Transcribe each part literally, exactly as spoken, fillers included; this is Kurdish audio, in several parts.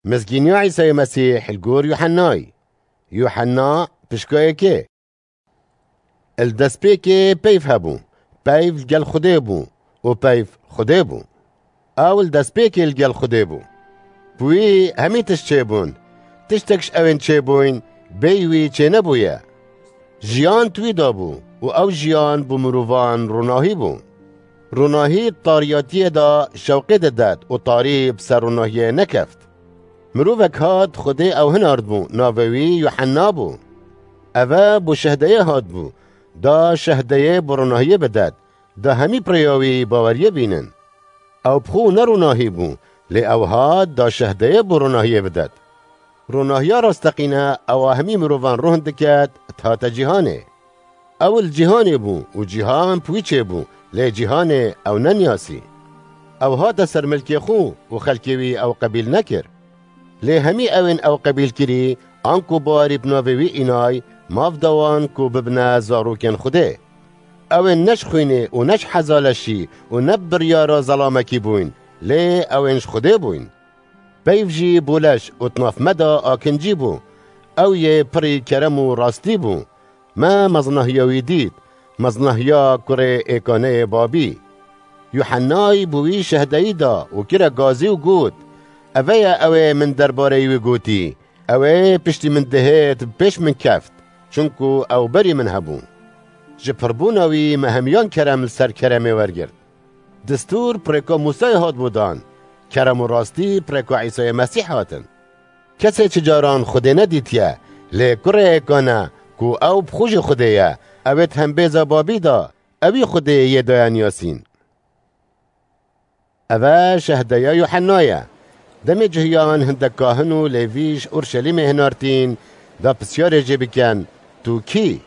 Mizgîniya Îsayê Mesîh li gor Yuhennayê. Yuhenna pişka yekê. Li destpêkê peyv hebû. Peyv li gel Xwedê bû û peyv Xwedê bû. Ew li destpêkê li gel Xwedê bû. Bi wî hemî tişt çêbûn. Tiştek ji ewên çêbûyn, bêyî wî çênebûye. Jiyan di wî de bû û ew jiyan bo mirovan ronahî bû. Ronahî di tariyatiyê de şewqê didet û tarî bi ser ronahiyê nekeft. Mirovek hat, Xwedê ew hinardbû, navê wî Yuhenna bû. Eve bo şehdeyê hatbû, da şehdeyê bo ronahiyê bidet, da hemî bi rêya wî baweriyê bînin. Ew bi xwe ne ronahî bû, lê ew hat da şehdeyê bo ronahiyê bidet. Ronahiya rasteqîne ewa hemî mirovan rohin diket, dihate cîhanê. Ew li cîhanê bû û cîhan bi wî çêbû, lê cîhanê ew neniyasî. Ew hate ser milkê xwe û xelkê wî ew qebîl nekir. Lê hemî ewên ew qebîl kirî, anku bawerî bi navê wî înay, maf da wan ku bibine zarokên Xwedê. Ewên ne ji xwînê û ne ji heza leşî û ne bi biryara zelamekî bûyn, lê ewên ji Xwedê bûyn. Peyv jî bo leş û di nav me de akincî bû. Ew yê pirî kerem û rastî bû. Me meznahiya wî dît, meznahiya kurê êkaneyê babî. Yuhennay bo wî şehdeyî da û kire gazî û got, Eve ye ew ê min derbareyî wî gotî, Ew ê piştî min dihêt, bi pêş min keft, çunku ew berî min hebû. Ji pirbûna wî me hemiyan kerem li ser keremê wergirt. Distûr bi rêka Mûsayê hatibû dan, kerem û rastî bi rêka Îsayê Mesîh hatin. Kesê çi caran Xwedê nedîtiye, lê kurê êkane ku ew bi xwe jî Xwedê ye, ew ê di hembêza babî de, ewî Xwedê yê daye niyasîn. Eve şehdeya Yuhenna ye. Demê cihiyan hindek kahin û lêvî ji Urşelîmê hinartîn, da pisyarê jê bikin, Tu kî?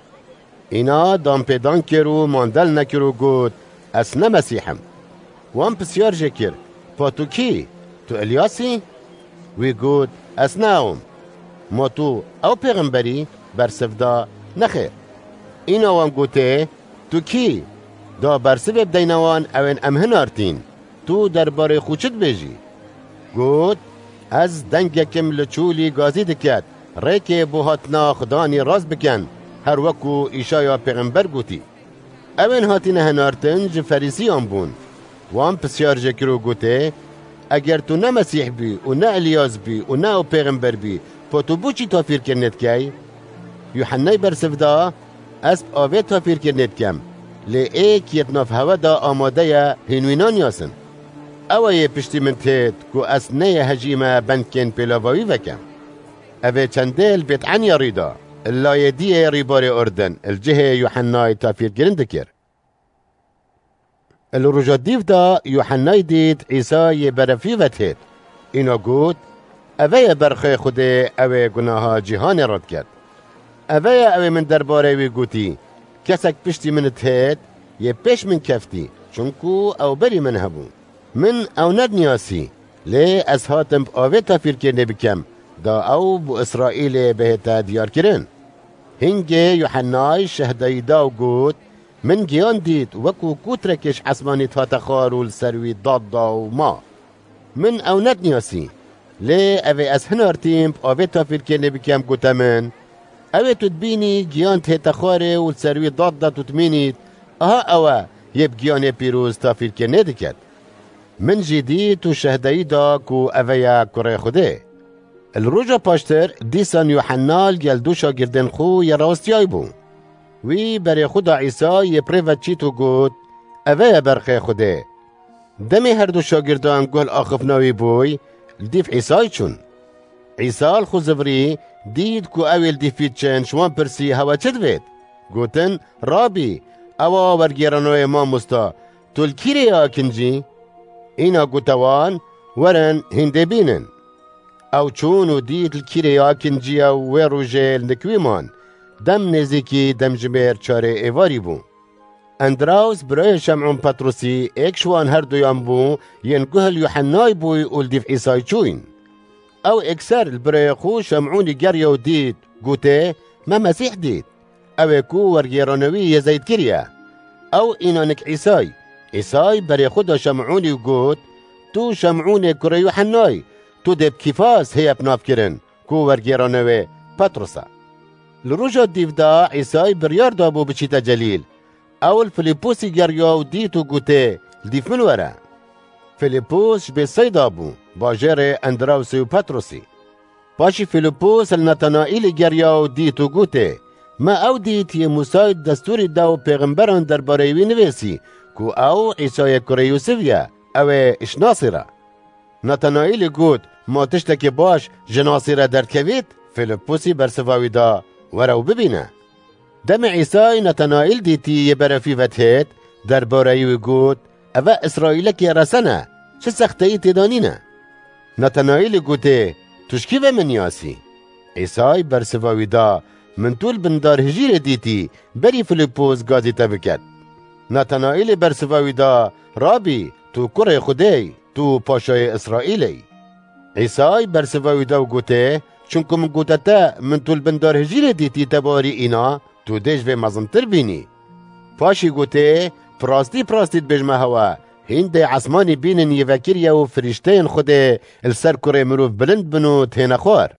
Îna danpêdan kir û mandel nekir û got, Ez ne Mesîh im. Wan pisyar jê kir, Pa tu kî? Tu Îlyas î? Wî got, Ez ne ew im. Ma tu ew pêxember î? Bersiv da, Nexêr. Îna wan gotê, Tu kî? Da bersivê bideyne wan, ewên em hinartîn. Tu derbarê xwe çi dibêjî? Got, Ez dengekim li çûlî gazî diket, rêkê bo hatina Xudanî rast bikin, her wekû Îşaya pêxember gotî. Ewên hatine hinartin ji Ferîsiyan bûn. Wan pisyar jê kir û gotê, Eger tu ne Mesîh bî û ne Îlyas bî û ne ew pêxember bî, pa tu bo çi tafîrkirinê dikey? Yuhennay bersiv da, Ez bi avê tafîrkirinê dikem, lê êk yê di nav hewe de amade ye, hîn wî naniyasin. Ew e yê piştî min têt ku ez neyê hejî me bendkên pêlava wî vekem. Ev ê çendê li Bêt'enîya rû da, li layê diyê rîbarê Urdin, li cihê Yuhennay tafîrkirin dikir. Li roja dîv de Yuhennay dît Îsa yê berefî ve têt. Îna got, Eve ye berxê Xwedê, ew ê gunaha cîhanê radiket. Eve ye ew ê min derbarê wî gotî, Kesek piştî min têt, yê pêş min keftî, çunku ew berî min hebû. Min ew nediniyasî, lê ez hatim bi avê tafîrkirinê bikem, da ew bo Îsraîlê bihête diyarkirin. Hingê Yuhennay şehdayî da û got, Min giyan dît, wekû kûtrekê ji esmanî dihate xwar û li ser wî dad da û ma. Min ew nediniyasî. Lê ev ê ez hinartîm, bi avê tafîrkirinê bikem, gote min, Ew ê tu dibînî, giyan dihête xwarê û li ser wî dad da tu dimînît, aha ew e, yê bi giyanê pîroz tafîrkirinê diket. Min jî dît û şehdeyî da ku eve ye Kurê Xwedê. Li roja paştir dîsan Yuhenna li gel du şagirdên xwe yê rawestiyayî bû. Wî berê xwe da Îsa yê bi rê ve çît û got, Eve ye berxê Xwedê. Demê her du şagirdan guh li axiftina wî bûy, li dîv Îsayî çûn. Îsa li xwe zivirî, dît ku ew ê li dîv wî diçin, ji wan pirsî, Hewe çi divêt? Gotin, Rabî, ewa wergêranoyê mamosta, tu li kî rê ye akincî? Îna gote wan, Werin, hîn dê bînin. Ew çûn û dît li kî rê ye akincî ye û wê rojê li nik wî man. Dem nêzîkî demjimêr çarê êvarî bû. Endraws, birayê Şem'ûn Petrusî, êk ji wan her duyan bû, yên guh li Yuhennay bûy û li dîv Îsay çûyn. Ew êkser li birayê xwe Şem'ûnî geriya û dît, gotê, Me Mesîh dît. Ew ê ku wergêrana wî yê zeyt kiriye. Ew îna nik Îsay. Îsay berê xwe da Şem'ûnî û got, Tu Şem'ûnê kurê Yuhennay, Tu dê bi Kîfas hêye bi nav kirin, ku wergêrane wê Petros e. Li roja dîv de Îsay biryar dabû biçîte Celîl. Ew li Filîposî geriya û dît û gotê, "Li dîv min were." Filîpos ji Bêtseyda bû, bajêrê Endrawsê û Petrosî. Paşî Filîpos li Natanaîlê geriya û dît û gotê, "Me ew dît yê Mûsay di destûrê de û pêxemberan derbareyê wî nivêsî, ku ew Îsayê kurê Yûsif ye, ew ê ji Nasîr e." Natanaîlê got, "Ma tiştekî baş ji Nasîre derdikevît?" Filîpusî bersiva wî da, "Were û bibîne." Demê Îsay Natanaîl dîtî yê berefî vedihêt, derbareyî wî got, "Eve Îsraîlekî resen e, çi sexteyî tê de nîne." Natanaîlî gotê, "Tu ji kî ve min niyasî?" Îsay bersiva wî da, "Min tu li bin dar hijîrê dîtî, berî Filîpos gazî te biket." Natanaîlê bersiva wî da, "Rabî, tu kurê Xwedê yî, tu paşayê Îsraîlê yî." Îsay bersiva wî da û gotê, "Çunku min gote te, min tu li bin dar hijîrê dîtî, te barî îna, tu dê ji vê mezintir bînî." Paşî gotê, "Bi rastî, bi rastî dibêjime hewe, hîn dê esmanî bînin yê vekirî ye û firîşteyên Xwedê li ser kurê mirov bilind bin û têne xwar."